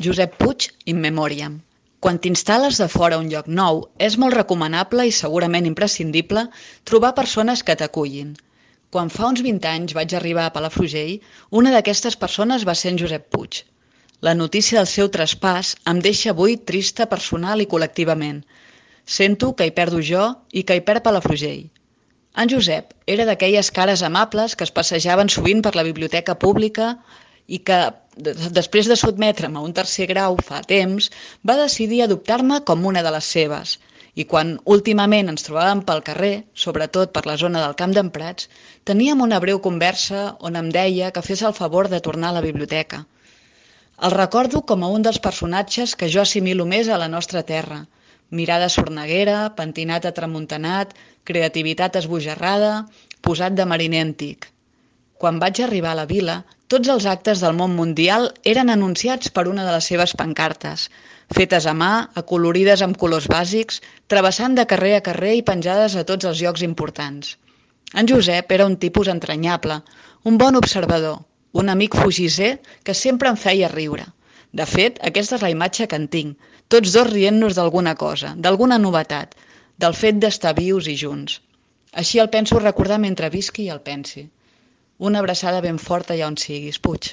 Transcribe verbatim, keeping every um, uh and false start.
Josep Puig in memoriam. Quan t'instal·les de fora a un lloc nou, és molt recomanable i segurament imprescindible trobar persones que t'acullin. Quan fa uns vint anys vaig arribar a Palafrugell, una d'aquestes persones va ser en Josep Puig. La notícia del seu traspàs em deixa avui trista personal i col·lectivament. Sento que hi perdo jo i que hi perd Palafrugell. En Josep era d'aquelles cares amables que es passejaven sovint per la biblioteca pública i que, després de sotmetre'm a un tercer grau fa temps, va decidir adoptar-me com una de les seves. I quan últimament ens trobàvem pel carrer, sobretot per la zona del Camp d'en Prats, teníem una breu conversa on em deia que fes el favor de tornar a la biblioteca. El recordo com a un dels personatges que jo assimilo més a la nostra terra. Mirada sorneguera, pentinat atramuntanat, creativitat esbojarrada, posat de mariner antic. Quan vaig arribar a la vila, tots els actes del món mundial eren anunciats per una de les seves pancartes, fetes a mà, acolorides amb colors bàsics, travessant de carrer a carrer i penjades a tots els llocs importants. En Josep era un tipus entranyable, un bon observador, un amic fugisser que sempre em feia riure. De fet, aquesta és la imatge que en tinc, tots dos rient-nos d'alguna cosa, d'alguna novetat, del fet d'estar vius i junts. Així el penso recordar mentre visqui i el pensi. Una abraçada ben forta allà on siguis, Puig.